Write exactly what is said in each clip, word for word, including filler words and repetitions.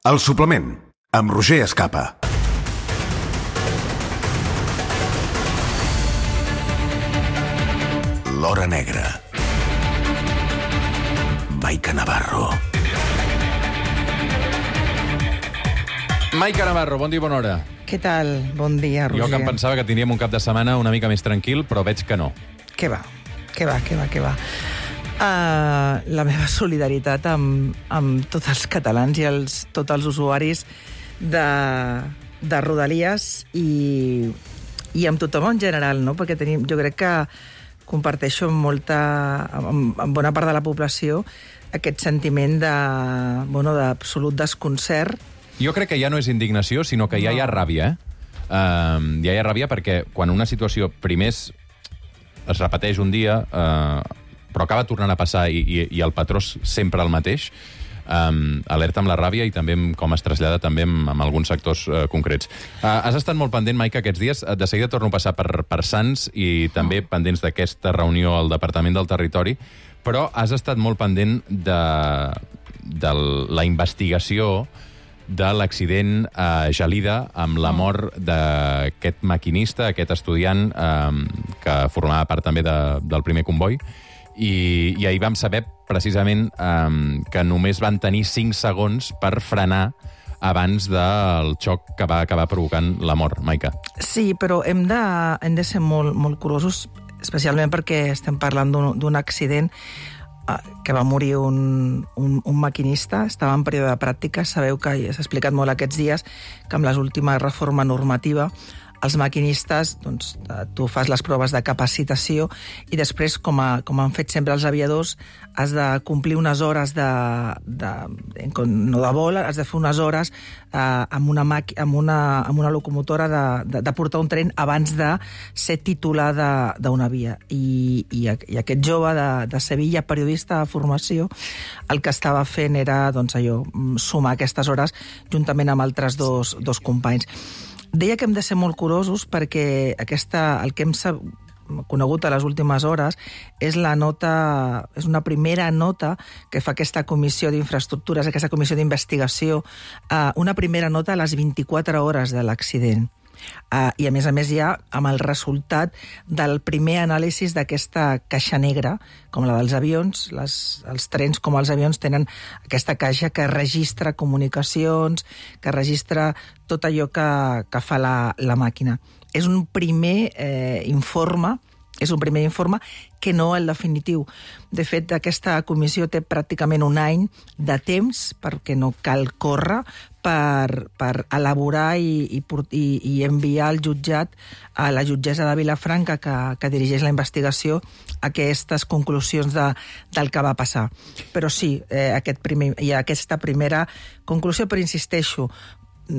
El suplement, amb Roger Escapa. L'Hora Negra. Maica Navarro. Maica Navarro, bon dia i bona hora. Què tal? Bon dia, Roger. Jo que em pensava que tindríem un cap de setmana una mica més tranquil, però veig que no. Què va? Què va, què va, què va? Uh, la meva solidaritat amb, amb tots els catalans i els, tots els usuaris de, de Rodalies i, i amb tothom en general, no? Perquè tenim, jo crec que comparteixo amb molta, amb, amb bona part de la població aquest sentiment de, bueno, d'absolut desconcert. Jo crec que ja no és indignació, sinó que ja hi ha ràbia, eh? Uh, ja hi ha ràbia perquè quan una situació primer es, es repeteix un dia, uh, però acaba tornant a passar i, i, i el patró és sempre el mateix, um, alerta amb la ràbia i també amb, com es trasllada també amb, amb alguns sectors uh, concrets. Uh, has estat molt pendent, Maica, aquests dies. De seguida torno a passar per, per Sants i també oh. pendents d'aquesta reunió al Departament del Territori, però has estat molt pendent de, de la investigació de l'accident a Gelida amb la mort d'aquest maquinista, aquest estudiant eh, que formava part també de, del primer comboi. I, i ahir vam saber precisament eh, que només van tenir cinc segons per frenar abans del xoc que va acabar provocant la mort, Maica. Sí, però hem de, hem de ser molt, molt curosos, especialment perquè estem parlant d'un accident que va morir un, un, un maquinista, estava en període de pràctica. Sabeu que s'ha explicat molt aquests dies que amb les últimes reforma normativa els maquinistes, doncs, tu fas les proves de capacitació i després, com, a, com han fet sempre els aviadors, has de complir unes hores de, de no de vol, has de fer unes hores eh, amb, una maqui, amb, una, amb una locomotora de, de, de portar un tren abans de ser titular d'una via. I, i, I aquest jove de, de Sevilla, periodista de formació, el que estava fent era, doncs, allò, sumar aquestes hores juntament amb altres dos, dos companys. Deia que hem de ser molt curosos perquè aquesta, el que hem conegut a les últimes hores és la nota, és una primera nota que fa aquesta comissió d'infraestructures, aquesta comissió d'investigació, eh, una primera nota a les vint-i-quatre hores de l'accident. Uh, I a més a més ja amb el resultat del primer anàlisi d'aquesta caixa negra, com la dels avions, les, els trens com els avions tenen aquesta caixa que registra comunicacions, que registra tot allò que, que fa la, la màquina. És un primer eh, informe, és un primer informe que no el definitiu. De fet, aquesta comissió té pràcticament un any de temps, perquè no cal córrer, per, per elaborar i, i, i, i enviar al jutjat, a la jutgessa de Vilafranca, que, que dirigeix la investigació, aquestes conclusions de, del que va passar. Però sí, eh, aquest primer, hi ha aquesta primera conclusió, però insisteixo,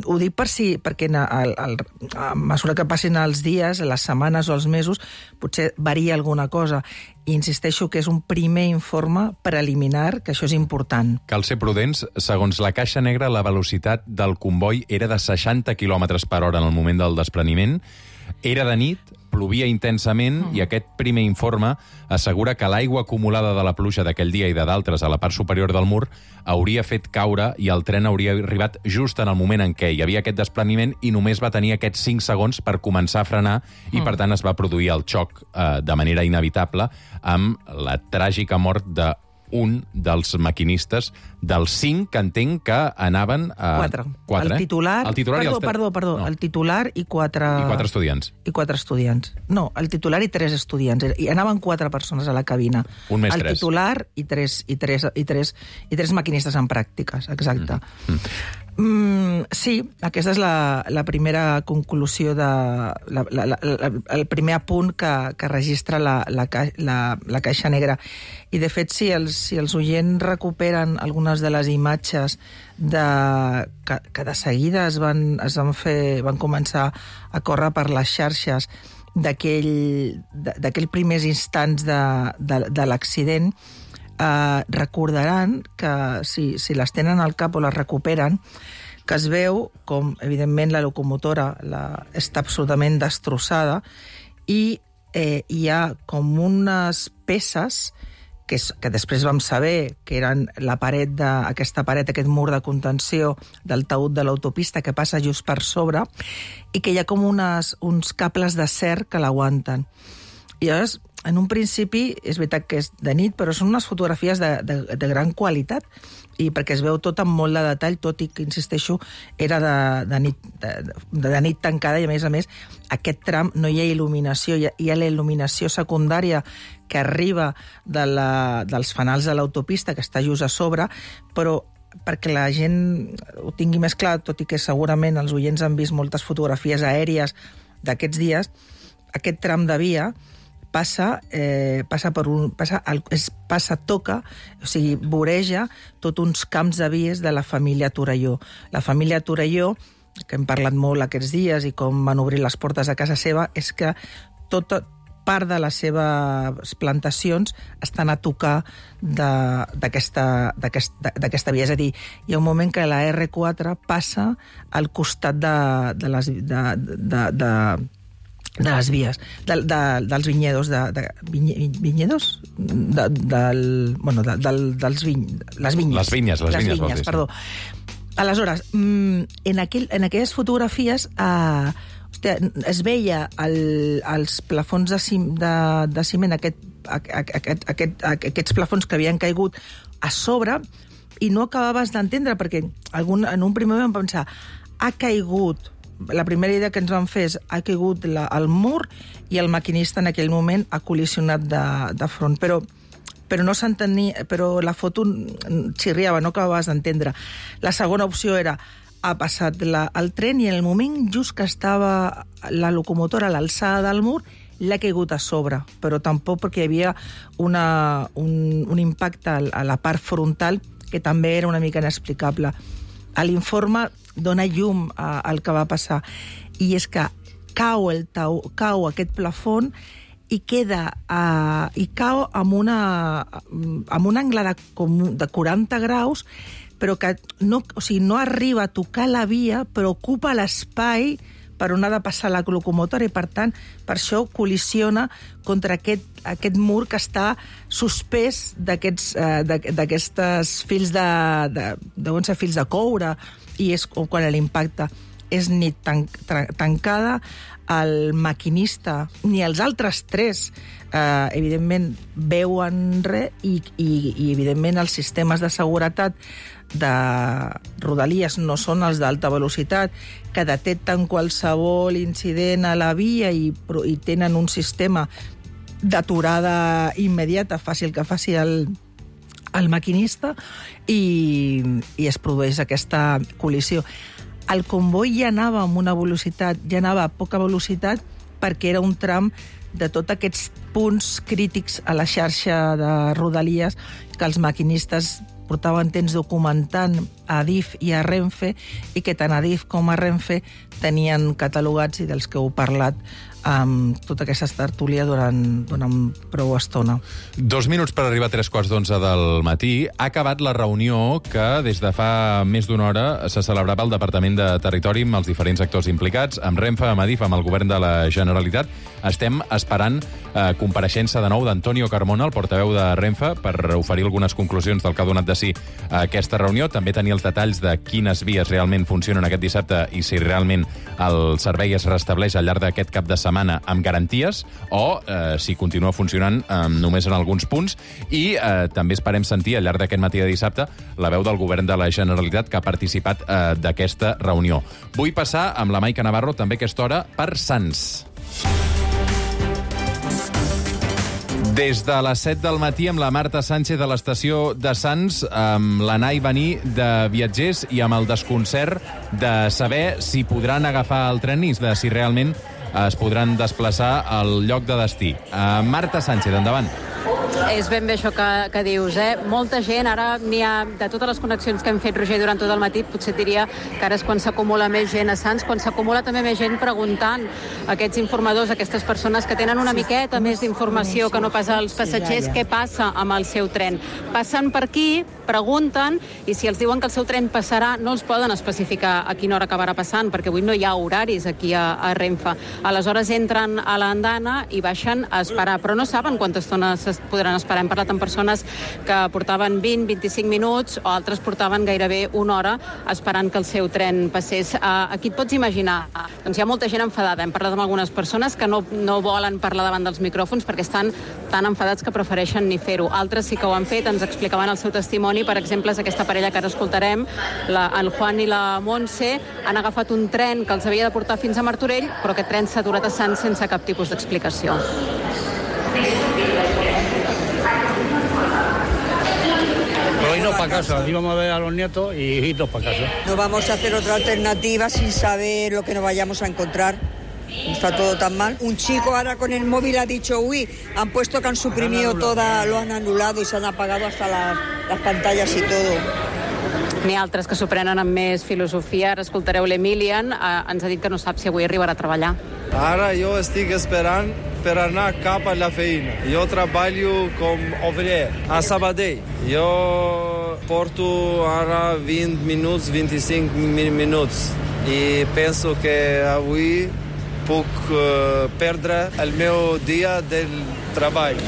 ho dic per si, perquè al, al, a mesura que passin els dies, les setmanes o els mesos, potser varia alguna cosa. I insisteixo que és un primer informe preliminar, que això és important. Cal ser prudents. Segons la caixa negra, la velocitat del comboi era de seixanta quilòmetres per hora en el moment del despreniment. Era de nit, plovia intensament mm. i aquest primer informe assegura que l'aigua acumulada de la pluja d'aquell dia i de d'altres a la part superior del mur hauria fet caure i el tren hauria arribat just en el moment en què hi havia aquest despreniment i només va tenir aquests cinc segons per començar a frenar i, mm. per tant, es va produir el xoc eh, de manera inevitable amb la tràgica mort de un dels maquinistes, dels cinc que entenc que anaven a... Quatre. Quatre, el titular... Eh? El titular perdó, i els... perdó, perdó. No. El titular i quatre... I quatre estudiants. I quatre estudiants. No, el titular i tres estudiants. I anaven quatre persones a la cabina. Un més el tres. El titular i tres, i, tres, i, tres, i tres maquinistes en pràctiques, exacte. Mm. Mm, sí, aquesta és la, la primera conclusió, de, la, la, la, la, el primer apunt que, que registra la, la, la, la caixa negra. I, de fet, si els, si els oients recuperen algunes de les imatges de, que, que de seguida es van, es van, fer, van començar a córrer per les xarxes d'aquells primers instants de, de, de l'accident, eh, recordaran que, si, si les tenen al cap o les recuperen, que es veu com, evidentment, la locomotora la, està absolutament destrossada i eh, hi ha com unes peces que, és, que després vam saber que eren la paret de, aquesta paret, aquest mur de contenció del taüt de l'autopista que passa just per sobre, i que hi ha com unes, uns cables d'acer que l'aguanten. I llavors, en un principi, és veritat que és de nit, però són unes fotografies de, de, de gran qualitat, i perquè es veu tot amb molt de detall, tot i que, insisteixo, era de, de, nit, de, de nit tancada, i a més a més, aquest tram no hi ha il·luminació, hi ha, hi ha la il·luminació secundària que arriba de la, dels fanals de l'autopista, que està just a sobre, però perquè la gent ho tingui més clar, tot i que segurament els oients han vist moltes fotografies aèries d'aquests dies, aquest tram de via passa, eh, passa per un... Passa, es, passa, toca, o sigui, voreja tot uns camps de vies de la família Torelló. La família Torelló, que hem parlat molt aquests dies i com van obrir les portes a casa seva, és que tota part de les seves plantacions estan a tocar d'aquesta via. És a dir, hi ha un moment que la erre quatre passa al costat de, de les... De, de, de, de les vies, de, de, dels vinyedos, de, de vinye, vinyedos? De, del, bueno, de, del, dels viny, les vinyes. Les vinyes, les, les vinyes, vinyes perdó. Aleshores, en, aquell, en aquelles fotografies eh, hòstia, es veia el, els plafons de, cim, de, de ciment, aquest, aquest, aquest, aquests plafons que havien caigut a sobre, i no acabaves d'entendre, perquè algun, en un primer moment vam pensar, ha caigut... La primera idea que ens van fer és ha caigut la, el mur i el maquinista en aquell moment ha col·lisionat de, de front. Però, però, no s'entenia, però la foto xirriava, no acabaves d'entendre. La segona opció era ha passat la, el tren i en el moment just que estava la locomotora a l'alçada del mur l'ha caigut a sobre, però tampoc perquè hi havia una, un, un impacte a la part frontal que també era una mica inexplicable. A l'informe dona llum al que va passar, i és que cau, el tau, cau aquest plafon i queda uh, i cau amb, una, amb un angle de, com, de quaranta graus, però que no, o sigui, no arriba a tocar la via, però ocupa l'espai per on ha de passar la locomotora, i per tant, per això col·lisiona contra aquest, aquest mur que està suspès d'aquests eh, fils de, de, deuen ser fils de coure, i és quan l'impacte és nit tan, tancada, el maquinista ni els altres tres eh, evidentment veuen res, i, i, i evidentment els sistemes de seguretat de Rodalies no són els d'alta velocitat, que detecten qualsevol incident a la via i, i tenen un sistema d'aturada immediata, fàcil que faci el, el maquinista, i, i es produeix aquesta col·lisió. El comboi ja anava amb una velocitat, ja anava a poca velocitat, perquè era un tram de tots aquests punts crítics a la xarxa de Rodalies que els maquinistes portaven temps documentant a Adif i a Renfe, i que tant Adif com a Renfe tenien catalogats, i dels que heu parlat amb tota aquesta tertúlia durant, durant prou estona. Dos minuts per arribar a tres quarts d'onze del matí. Ha acabat la reunió que des de fa més d'una hora se celebrava al Departament de Territori amb els diferents actors implicats, amb Renfe, amb Adif, amb el govern de la Generalitat. Estem esperant eh, compareixença de nou d'Antonio Carmona, el portaveu de Renfe, per oferir algunes conclusions del que ha donat de si aquesta reunió. També tenir els detalls de quines vies realment funcionen aquest dissabte i si realment el servei es restableix al llarg d'aquest cap de setmana amb garanties, o eh, si continua funcionant eh, només en alguns punts. I eh, també esperem sentir al llarg d'aquest matí de dissabte la veu del govern de la Generalitat que ha participat eh, d'aquesta reunió. Vull passar amb la Maica Navarro també a aquesta hora per Sants. Des de les set del matí amb la Marta Sánchez a l'estació de Sants, amb l'anar i venir de viatgers i amb el desconcert de saber si podran agafar el tren i de si realment es podran desplaçar al lloc de destí. Uh, Marta Sánchez, endavant. És ben bé això que, que dius, eh? Molta gent, ara n'hi ha, de totes les connexions que hem fet, Roger, durant tot el matí, potser et diria que ara és quan s'acumula més gent a Sants, quan s'acumula també més gent preguntant a aquests informadors, a aquestes persones que tenen una miqueta més d'informació que no pas als passatgers, què passa amb el seu tren. Passen per aquí, pregunten, i si els diuen que el seu tren passarà, no els poden especificar a quina hora acabarà passant, perquè avui no hi ha horaris aquí a, a Renfe. Aleshores entren a l'andana i baixen a esperar, però no saben quanta estona es podrà podran esperar. Hem parlat amb persones que portaven vint a vint-i-cinc minuts o altres portaven gairebé una hora esperant que el seu tren passés. Aquí et pots imaginar, doncs hi ha molta gent enfadada. Hem parlat amb algunes persones que no, no volen parlar davant dels micròfons perquè estan tan enfadats que prefereixen ni fer-ho. Altres sí que ho han fet, ens explicaven el seu testimoni. Per exemple, és aquesta parella que ara escoltarem, la, el Juan i la Montse, han agafat un tren que els havia de portar fins a Martorell, però aquest tren s'ha aturat a Sants sense cap tipus d'explicació. Hoy no para casa, íbamos a ver a los nietos y irnos para casa. No vamos a hacer otra alternativa sin saber lo que nos vayamos a encontrar. Está todo tan mal. Un chico ahora con el móvil ha dicho, uy, han puesto que han suprimido toda, lo han anulado y se han apagado hasta las, las pantallas y todo. N'hi ha altres que s'ho prenen amb més filosofia. Ara escoltareu l'Emilian, eh, ens ha dit que no sap si avui arribarà a treballar. Ara jo estic esperant per anar cap a la feina. Jo treballo com obrer a Sabadell. Jo porto ara vint minuts, vint-i-cinc minuts i penso que avui puc uh, perdre el meu dia del treball.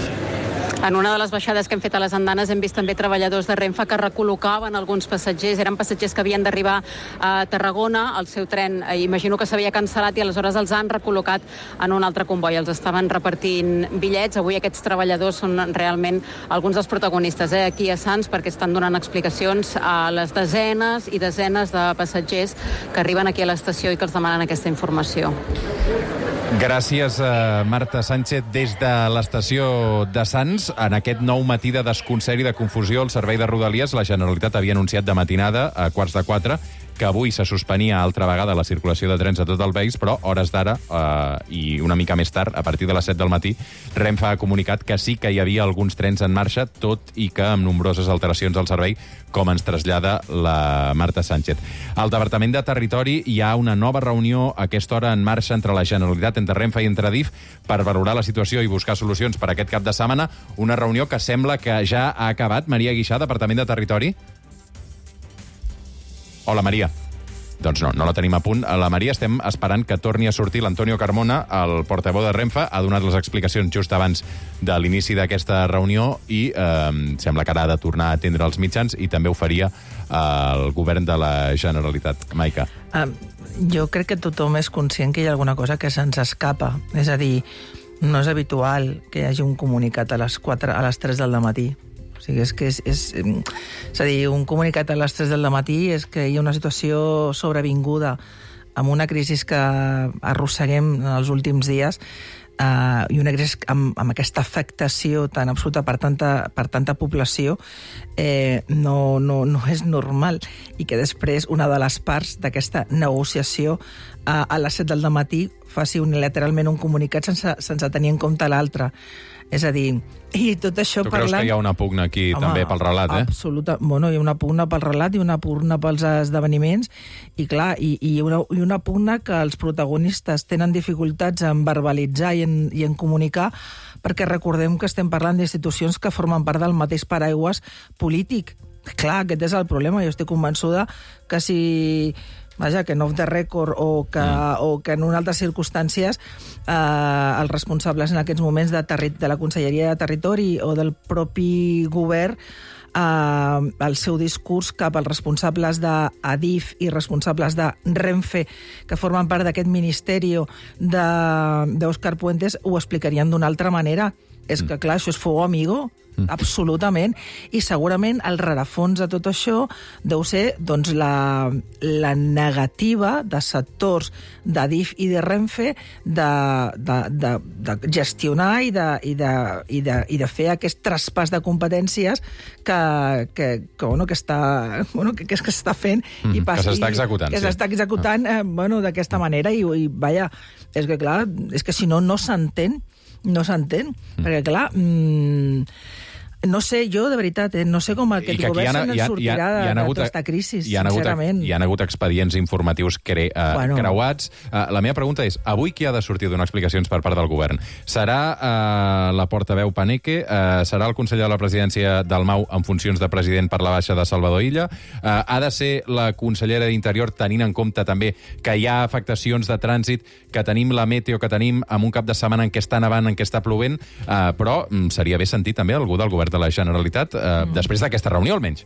En una de les baixades que hem fet a les andanes hem vist també treballadors de Renfe que recol·locaven alguns passatgers. Eren passatgers que havien d'arribar a Tarragona. El seu tren, eh, imagino que s'havia cancel·lat i aleshores els han recol·locat en un altre comboi. Els estaven repartint bitllets. Avui aquests treballadors són realment alguns dels protagonistes eh, aquí a Sants perquè estan donant explicacions a les desenes i desenes de passatgers que arriben aquí a l'estació i que els demanen aquesta informació. Gràcies, uh, Marta Sánchez, des de l'estació de Sants. En aquest nou matí de desconcert i de confusió, el Servei de Rodalies, la Generalitat havia anunciat de matinada, a quarts de quatre, que avui se suspenia altra vegada la circulació de trens a tot el país, però hores d'ara eh, i una mica més tard, a partir de les set del matí, Renfe ha comunicat que sí que hi havia alguns trens en marxa, tot i que amb nombroses alteracions al servei, com ens trasllada la Marta Sánchez. Al Departament de Territori hi ha una nova reunió a aquesta hora en marxa entre la Generalitat, entre Renfe i entre Adif, per valorar la situació i buscar solucions per aquest cap de setmana. Una reunió que sembla que ja ha acabat. Maria Guixà, Departament de Territori. Hola, Maria. Doncs no, no la tenim a punt. La Maria, estem esperant que torni a sortir l'Antonio Carmona, el portaveu de Renfe, ha donat les explicacions just abans de l'inici d'aquesta reunió i eh, sembla que ara ha de tornar a atendre els mitjans i també ho faria eh, el govern de la Generalitat. Maica. Um, jo crec que tothom és conscient que hi ha alguna cosa que se'ns escapa. És a dir, no és habitual que hi hagi un comunicat a les quatre, a les tres del matí. O sigui, és que és, és, és a dir, un comunicat a les tres del matí és que hi ha una situació sobrevinguda amb una crisi que arrosseguem en els últims dies eh, i una crisi amb, amb aquesta afectació tan absoluta per tanta, per tanta població eh, no, no, no és normal i que després una de les parts d'aquesta negociació eh, a les set del matí faci unilateralment un comunicat sense, sense tenir en compte l'altre. És a dir, i tot això tu parlant... creus que hi ha una pugna aquí Home, també pel relat, eh? Absoluta. Bueno, hi ha una pugna pel relat i una pugna pels esdeveniments i, clar, i, i, una, i una pugna que els protagonistes tenen dificultats en verbalitzar i en, i en comunicar perquè recordem que estem parlant d'institucions que formen part del mateix paraigües polític. Clar, aquest és el problema. Jo estic convençuda que si... Vaja, que no off the record o que, mm. o que en unes altres circumstàncies eh, els responsables en aquests moments de, terri de la Conselleria de Territori o del propi govern eh, el seu discurs cap als responsables d'Adif i responsables de Renfe que formen part d'aquest ministeri d'Òscar Puentes ho explicarien d'una altra manera. És que, clar, això és fuego amigo, mm. absolutament, i segurament el rerefons de tot això deu ser doncs, la, la negativa de sectors d'Adif i de Renfe de, de, de, de gestionar i de, i, de, i, de, i de fer aquest traspàs de competències que, que, que, bueno, que està, bueno, que, que, que s'està fent mm, i pas, que s'està executant. Que sí. s'està executant eh, bueno, d'aquesta manera i, i, vaja, és que, clar, és que si no, no s'entén no s'entén, mm. perquè, clar, mmm, No sé, jo, de veritat, eh, no sé com aquest govern se'n sortirà de tota aquesta crisi, sincerament. Hi ha hagut expedients informatius cre, uh, Bueno. creuats. Uh, la meva pregunta és, avui qui ha de sortir a donar explicacions per part del govern? Serà uh, la portaveu Paneque? Uh, serà el conseller de la presidència Dalmau en funcions de president per la baixa de Salvador Illa? Uh, ha de ser la consellera d'Interior, tenint en compte també que hi ha afectacions de trànsit, que tenim la meteo que tenim amb un cap de setmana en què està nevant, en què està plovent, uh, però um, seria bé sentir també algú del govern de la Generalitat, eh, mm. després d'aquesta reunió, almenys.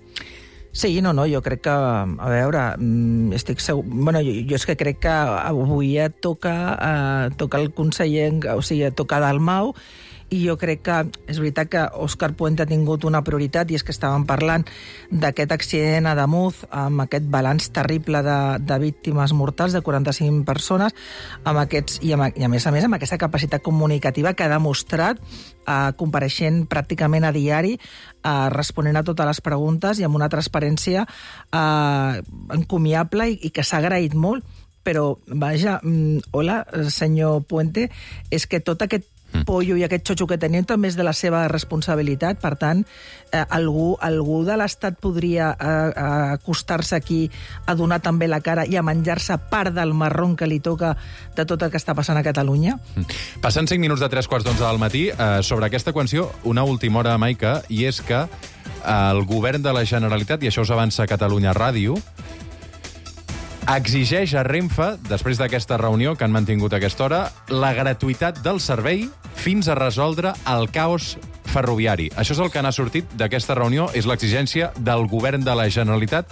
Sí, no, no, jo crec que, a veure, estic segur... Bueno, jo, jo és que crec que avui ja toca, eh, toca el conseller, o sigui, toca Dalmau, i jo crec que és veritat que Òscar Puente ha tingut una prioritat, i és que estàvem parlant d'aquest accident a Damuz, amb aquest balanç terrible de, de víctimes mortals, de quaranta-cinc persones, amb aquests, i, amb, i a més a més amb aquesta capacitat comunicativa que ha demostrat, eh, compareixent pràcticament a diari, eh, responent a totes les preguntes i amb una transparència eh, encomiable i, i que s'ha agraït molt. Però, vaja, mm, hola, senyor Puente, és que tot aquest pollo i aquest xotxo que tenim també és de la seva responsabilitat. Per tant, eh, algú, algú de l'Estat podria eh, acostar-se aquí a donar també la cara i a menjar-se part del marrón que li toca de tot el que està passant a Catalunya. Passant cinc minuts de tres quarts d'onze del matí, eh, sobre aquesta qüestió, una última hora, Maica, i és que el govern de la Generalitat, i això us avança a Catalunya Ràdio, exigeix a Renfe, després d'aquesta reunió que han mantingut a aquesta hora, la gratuïtat del servei fins a resoldre el caos ferroviari. Això és el que n'ha sortit d'aquesta reunió, és l'exigència del govern de la Generalitat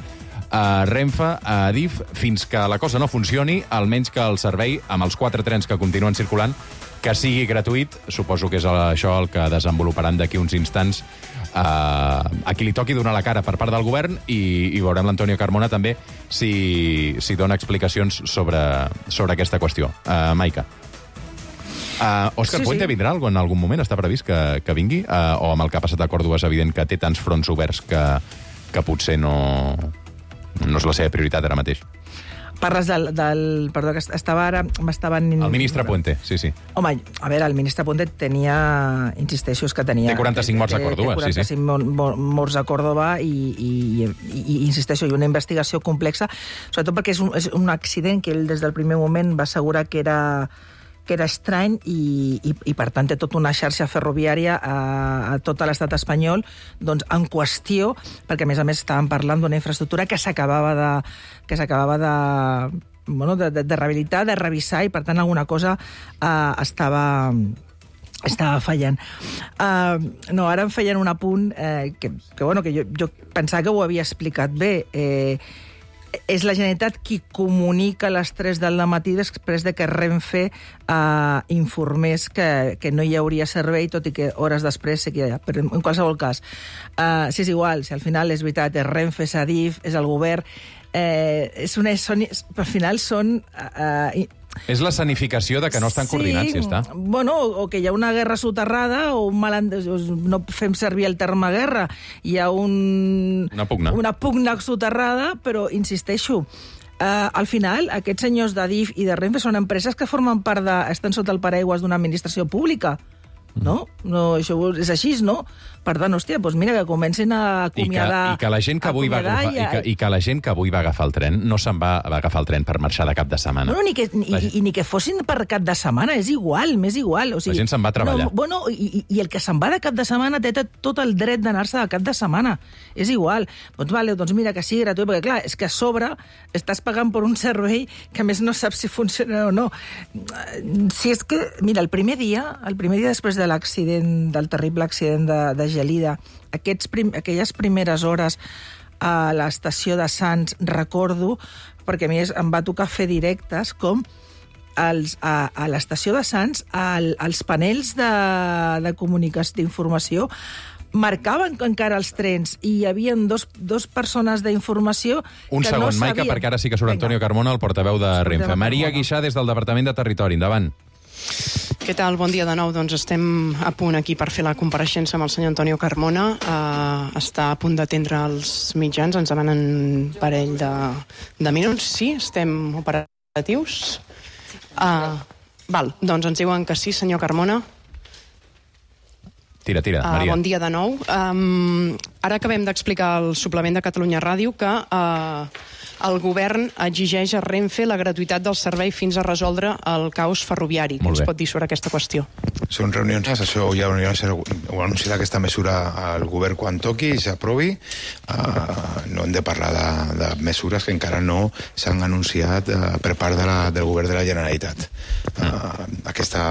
a Renfe, a Adif, fins que la cosa no funcioni, almenys que el servei, amb els quatre trens que continuen circulant, que sigui gratuït. Suposo que és això el que desenvoluparan d'aquí uns instants Uh, a qui li toqui donar la cara per part del govern, i, i veurem l'Antonio Carmona també si, si dona explicacions sobre, sobre aquesta qüestió. Uh, Maica. Uh, Òscar sí, Puente sí. vindrà en algun moment? Està previst que, que vingui? Uh, o amb el que ha passat a Còrdova és evident que té tants fronts oberts que, que potser no, no és la seva prioritat ara mateix? Parles del... del perdó, que estava ara... m'estaven... El ministre Puente, sí, sí. Home, a veure, el ministre Puente tenia... Insisteixo, és que tenia... Té quaranta-cinc morts a Còrdova, sí, sí. Té quaranta-cinc morts a Còrdova i, i, i, i insisteixo, i una investigació complexa, sobretot perquè és un, és un accident que ell des del primer moment va assegurar que era... que era estrany i, i, i per tant té tota una xarxa ferroviària a, a tot l'estat espanyol doncs, en qüestió, perquè a més a més estàvem parlant d'una infraestructura que s'acabava de, que s'acabava de, bueno, de, de, de rehabilitar, de revisar, i per tant alguna cosa eh, estava... estava fallant. Uh, no, ara em feien un apunt eh, que, que, bueno, que jo, jo pensava que ho havia explicat bé. Eh, és la Generalitat qui comunica a les tres del matí després de que Renfe eh, informés que, que no hi hauria servei, tot i que hores després sé que hi ha. Però en qualsevol cas, eh, si és igual, si al final és veritat, és Renfe, és Adif, és el govern, eh, és una, són, al final són... Eh, És la escenificació de que no estan sí, coordinats, ja està. Bueno, o que hi ha una guerra soterrada, o un malendes... no fem servir el terme guerra. Hi ha un... Una pugna. Una pugna soterrada, però, insisteixo, eh, al final, aquests senyors d'Adif i de Renfe són empreses que formen part de... estan sota el paraigües d'una administració pública. No? No, això és així, no? Per tant, hòstia, doncs mira, que comencin a acomiadar... I que, i que la gent que avui va agafar, i, que, i que la gent que avui va agafar el tren no se'n va, va agafar el tren per marxar de cap de setmana. No, no, ni que, ni, la... i, i ni que fossin per cap de setmana, és igual, m'és igual. O sigui, la gent se'n va a treballar. No, bueno, i, i el que se'n va de cap de setmana té tot el dret d'anar-se de cap de setmana. És igual. Doncs vale, doncs mira, que sigui gratuït, perquè clar, és que a sobre estàs pagant per un servei que a més no saps si funciona o no. Si és que, mira, el primer dia, el primer dia després de l'accident, del terrible accident de, de Gelida, aquests prim, aquelles primeres hores a l'estació de Sants, recordo, perquè a mi em va tocar fer directes, com els, a, a l'estació de Sants, al, als panels de, de comunicació, d'informació, marcaven encara els trens i hi havia dos, dos persones d'informació Un que segon, no sabien... Maica, perquè ara sí que surt Antonio Carmona, el portaveu de Renfe. Maria Guixà, des del Departament de Territori. Endavant. Què tal? Bon dia de nou. Doncs estem a punt aquí per fer la compareixença amb el senyor Antonio Carmona. Uh, està a punt d'atendre els mitjans. Ens demanen un parell de, de minuts. Sí, estem operatius. Uh, val, doncs ens diuen que sí, senyor Carmona. Tira, tira, Maria. Uh, bon dia de nou. Um, ara acabem d'explicar al suplement de Catalunya Ràdio que uh, el govern exigeix a Renfe la gratuïtat del servei fins a resoldre el caos ferroviari. Què ens pot dir sobre aquesta qüestió? Són reunions, això ja ho ha anunciat aquesta mesura al govern quan toqui i s'aprovi. Uh, no hem de parlar de, de mesures que encara no s'han anunciat uh, per part de la, del govern de la Generalitat. Uh, aquesta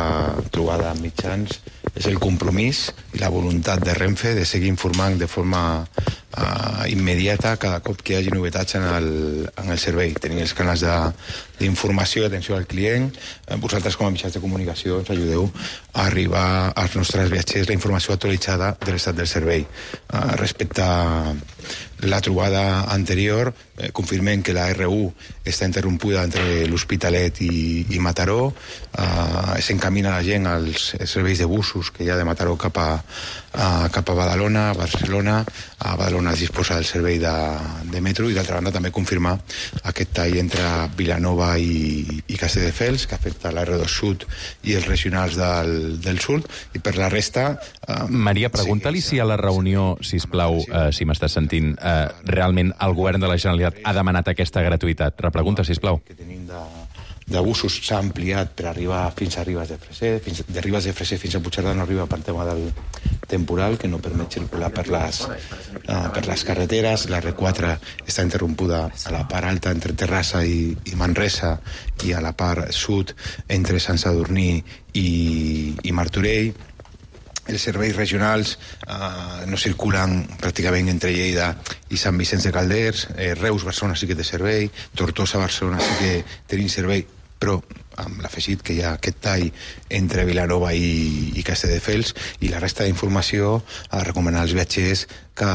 trobada amb mitjans és el compromís i la voluntat de Renfe de seguir informant de forma uh, immediata cada cop que hi hagi novetats en el, en el servei. Tenim els canals d'informació i atenció al client. Vosaltres, com a mitjans de comunicació, ens ajudeu a arribar als nostres viatgers la informació actualitzada de l'estat del servei. Uh, respecte a la trobada anterior, eh, confirmem que la R u està interrompuda entre l'Hospitalet i, i Mataró. Uh, S'encamina la gent als serveis de busos que hi ha de Mataró cap a, a, cap a Badalona, a Barcelona. A Badalona es disposa del servei de, de metro i, d'altra banda, també confirmar aquest tall entre Vilanova i, i Castelldefels, que afecta l'R dos Sud i els regionals del, del sud, i per la resta... Uh, Maria, pregunta-li si a la reunió, sisplau, uh, si m'estàs sentint, uh, realment el govern de la Generalitat ha demanat aquesta gratuïtat. Repregunta, sisplau. Que tenim de, de busos s'ha ampliat per arribar fins a Ribes de Freser, fins, de Ribes de Freser fins a Puigcerdà no arriba per tema del temporal, que no permet circular per les, uh, per les carreteres. La R quatre està interrompuda a la part alta entre Terrassa i, i Manresa i a la part sud entre Sant Sadurní i, i Martorell. Els serveis regionals eh, no circulen pràcticament entre Lleida i Sant Vicenç de Calders. eh, Reus-Barcelona sí que té servei, Tortosa-Barcelona sí que tenim servei, però amb l'afegit que hi ha aquest tall entre Vilanova i, i Castelldefels, i la resta d'informació a recomanar als viatgers que,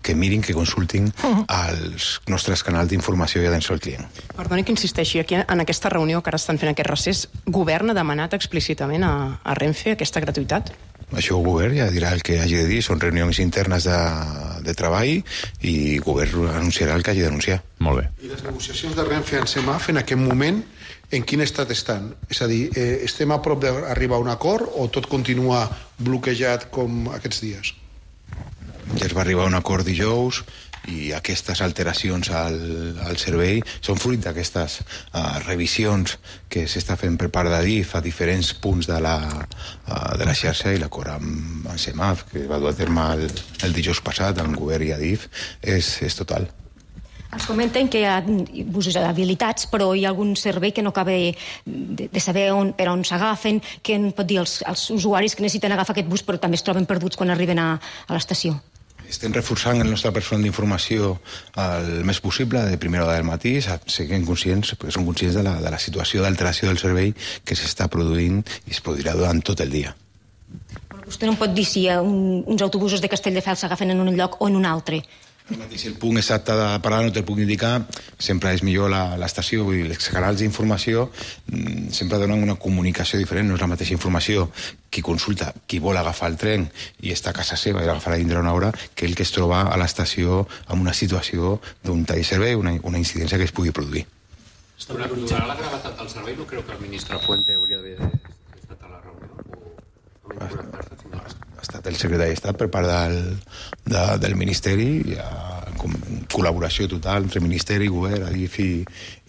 que mirin, que consultin els nostres canals d'informació i atenció al client. Perdoni que insisteixi, aquí en aquesta reunió que ara estan fent aquest recés, govern ha demanat explícitament a, a Renfe aquesta gratuïtat? Això el govern ja dirà el que hagi de dir, són reunions internes de, de treball i el govern anunciarà el que hagi d'anunciar. Molt bé. I les negociacions de Renfe en Semaf en aquest moment en quin estat estan? És a dir, eh, estem a prop d'arribar a un acord o tot continua bloquejat com aquests dies? Ja es va arribar a un acord dijous i aquestes alteracions al, al servei són fruit d'aquestes uh, revisions que s'està fent per part d'Adif a diferents punts de la, uh, de la xarxa, i l'acord amb, amb Semaf, que va dur a terme el, el dijous passat amb govern i Adif, és, és total. Ens comenten que hi ha busos habilitats, però hi ha algun servei que no acaba de, de saber on, per on s'agafen, que en pot dir als, als usuaris que necessiten agafar aquest bus però també es troben perduts quan arriben a, a l'estació. Estem reforçant el nostre personal d'informació el més possible, de primera hora del matí, siguem conscients, perquè som conscients de la, de la situació d'alteració del servei que s'està produint i es produirà durant tot el dia. Vostè no em pot dir si hi ha un, uns autobusos de Castelldefels s'agafen en un lloc o en un altre. Si el punt exacte de parada no te'l puc indicar, sempre és millor l'estació, vull dir, els canals d'informació sempre donen una comunicació diferent, no és la mateixa informació qui consulta, qui vol agafar el tren i està a casa seva i l'agafarà dintre d'una hora, que el que es troba a l'estació en una situació d'un tall de servei, una, una incidència que es pugui produir. Sobre la gravetat del servei, no creu que el ministre Fuente hauria d'haver estat a la reunió? O ha estat el secretari d'Estat per part del, de, del Ministeri, en col·laboració total entre Ministeri, Govern, Adif i,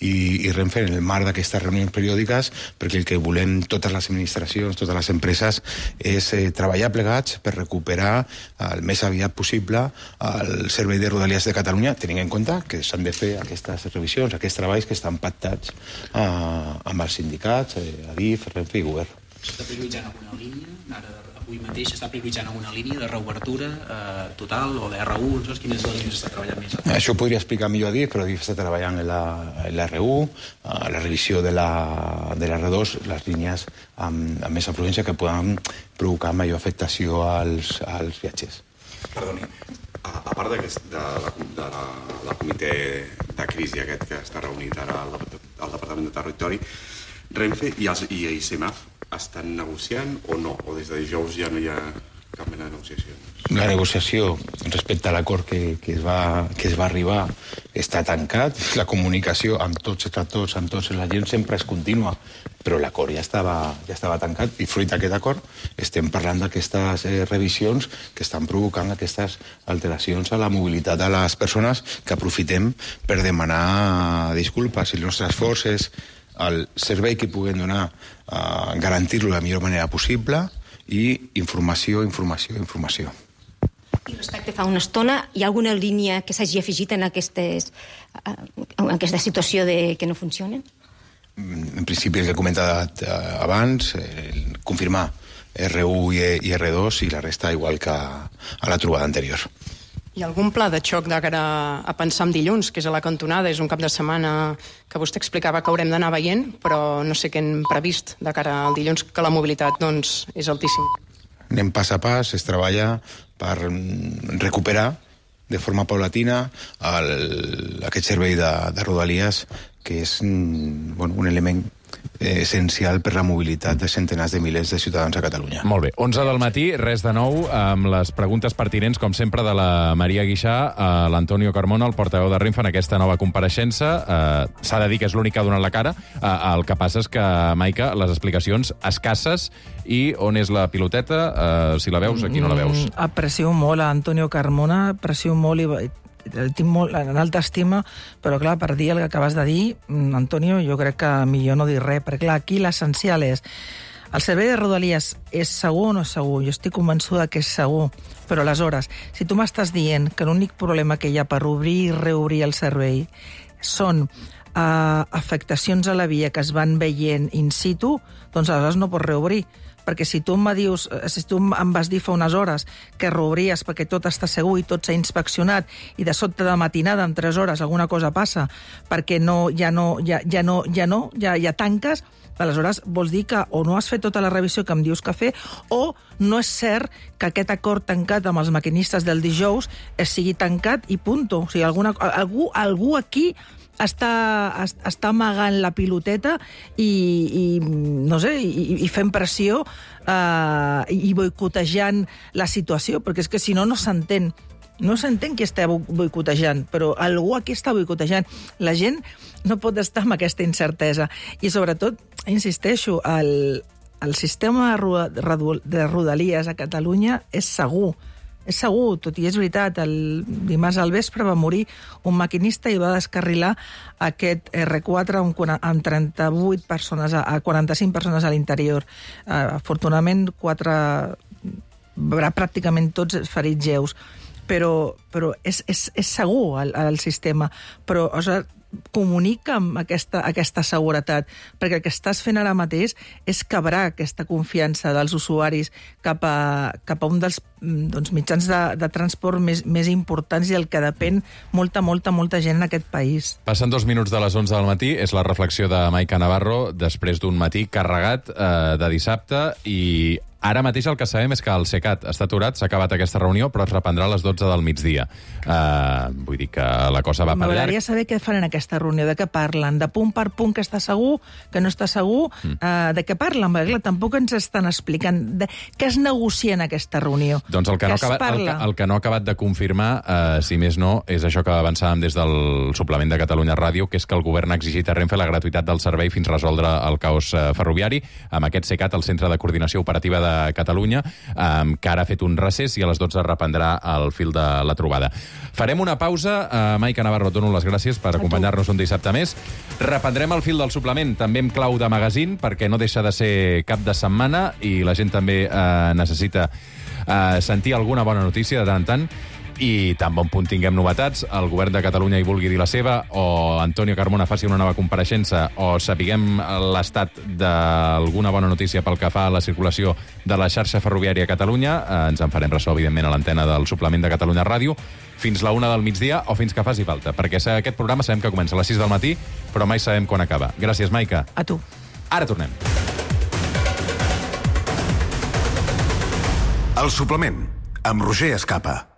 i, i Renfe en el marc d'aquestes reunions periòdiques, perquè el que volem totes les administracions, totes les empreses, és eh, treballar plegats per recuperar el més aviat possible el servei de Rodalies de Catalunya, tenint en compte que s'han de fer aquestes revisions, aquests treballs que estan pactats eh, amb els sindicats, eh, Adif, Renfe i Govern. S'està prioritzant alguna línia? Ara, avui mateix s'està prioritzant alguna línia de reobertura eh, total o de R u? No saps quines línies s'està treballant més? Això ho podria explicar millor a Adif, però Adif està treballant en la, en la R u, a la revisió de la, de la R dos, les línies amb, amb més afluència que poden provocar major afectació als, als viatgers. Perdoni, a, a part de, de, la, de la, la comitè de crisi aquest que està reunit ara al, al Departament de Territori, Renfe i, els, i Semaf estan negociant o no? O des de dijous ja no hi ha cap mena de negociació. La negociació respecte a l'acord que, que, es va, que es va arribar està tancat. La comunicació amb tots els actors, amb tots la gent, sempre és contínua, però l'acord ja estava, ja estava tancat i fruit d'aquest acord estem parlant d'aquestes eh, revisions que estan provocant aquestes alteracions a la mobilitat de les persones, que aprofitem per demanar disculpes. I el nostre esforç és el servei que puguem donar, eh, garantir-lo de la millor manera possible, i informació, informació, informació. I respecte fa una estona, hi ha alguna línia que s'hagi afegit en, aquestes, en aquesta situació de que no funcionen? En principi, el que he comentat abans, eh, confirmar R u i R dos i la resta igual que a la trobada anterior. Hi ha algun pla de xoc de cara a pensar en dilluns, que és a la cantonada, és un cap de setmana que vostè explicava que haurem d'anar veient, però no sé què hem previst de cara al dilluns, que la mobilitat doncs, és altíssima. Anem pas a pas, es treballa per recuperar de forma paulatina el, aquest servei de, de Rodalies, que és bueno, un element eh, essencial per la mobilitat de centenars de milers de ciutadans a Catalunya. Molt bé. onze del matí, res de nou, amb les preguntes pertinents, com sempre, de la Maria Guixà, a l'Antonio Carmona, el portaveu de Renfe, en aquesta nova compareixença. Eh, S'ha de dir que és l'únic que ha donat la cara. Eh, el que passa és que, Maica, les explicacions escasses. I on és la piloteta? Eh, si la veus, aquí no la veus. Mm, aprecio molt a Antonio Carmona, aprecio molt i el tinc molt en alta estima, però clar, per dir el que acabes de dir, Antonio, jo crec que millor no dir res, perquè clar, aquí l'essencial és el servei de Rodalies és segur o no és segur? Jo estic convençuda que és segur, però aleshores, si tu m'estàs dient que l'únic problema que hi ha per obrir i reobrir el servei són uh, afectacions a la via que es van veient in situ, doncs aleshores no pots reobrir. Perquè si tu em dius, si tu em vas dir fa unes hores que reobries perquè tot està segur i tot s'ha inspeccionat i de sobte de matinada en tres hores alguna cosa passa perquè no, ja no, ja, ja no, ja no, ja, ja tanques, aleshores vols dir que o no has fet tota la revisió que em dius que fer o no és cert que aquest acord tancat amb els maquinistes del dijous sigui tancat i punto. O sigui, alguna, algú, algú aquí està, està amagant la piloteta i, i no sé, i, i fent pressió eh, i boicotejant la situació, perquè és que si no, no s'entén. No s'entén qui està boicotejant, però algú aquí està boicotejant. La gent no pot estar amb aquesta incertesa. I sobretot, insisteixo, el, el sistema de Rodalies a Catalunya és segur. És segur, tot i és veritat, el dimarts al vespre va morir un maquinista i va descarrilar aquest R quatre amb trenta-vuit persones, a quaranta-cinc persones a l'interior. Afortunadament, quatre, pràcticament tots ferits lleus. Però, però és, és, és segur el, el sistema. Però, o sigui, comunica amb aquesta, aquesta seguretat, perquè el que estàs fent ara mateix és quebrar aquesta confiança dels usuaris cap a, cap a un dels doncs, mitjans de, de transport més, més importants i el que depèn molta, molta, molta gent en aquest país. Passen dos minuts de les onze del matí, és la reflexió de Maica Navarro després d'un matí carregat eh, de dissabte i ara mateix el que sabem és que el SECAT està aturat, s'ha acabat aquesta reunió, però es reprendrà a les dotze del migdia. Uh, vull dir que la cosa va per llarg. M'agradaria saber què fan en aquesta reunió, de què parlen, de punt per punt que està segur, que no està segur, mm. uh, de què parlen, perquè clar, tampoc ens estan explicant de què es negocia en aquesta reunió. Doncs el que, no, acabat, el, que, el que no ha acabat de confirmar, uh, si més no, és això que avançàvem des del suplement de Catalunya Ràdio, que és que el govern ha exigit a Renfe la gratuïtat del servei fins resoldre el caos uh, ferroviari, amb aquest SECAT, el Centre de Coordinació Operativa de Catalunya, um, que ara ha fet un recés i a les dotze reprendrà el fil de la trobada. Farem una pausa. Uh, Maica Navarro, et dono les gràcies per acompanyar-nos un dissabte més. Reprendrem el fil del suplement, també amb clau de magazine, perquè no deixa de ser cap de setmana i la gent també uh, necessita uh, sentir alguna bona notícia de tant en tant. I tan bon punt tinguem novetats, el govern de Catalunya hi vulgui dir la seva, o Antonio Carmona faci una nova compareixença, o sapiguem l'estat d'alguna bona notícia pel que fa a la circulació de la xarxa ferroviària a Catalunya, eh, ens en farem ressò, evidentment, a l'antena del suplement de Catalunya Ràdio, fins la una del migdia o fins que faci falta, perquè aquest programa sabem que comença a les sis del matí, però mai sabem quan acaba. Gràcies, Maica. A tu. Ara tornem. El suplement, amb Roger Escapa.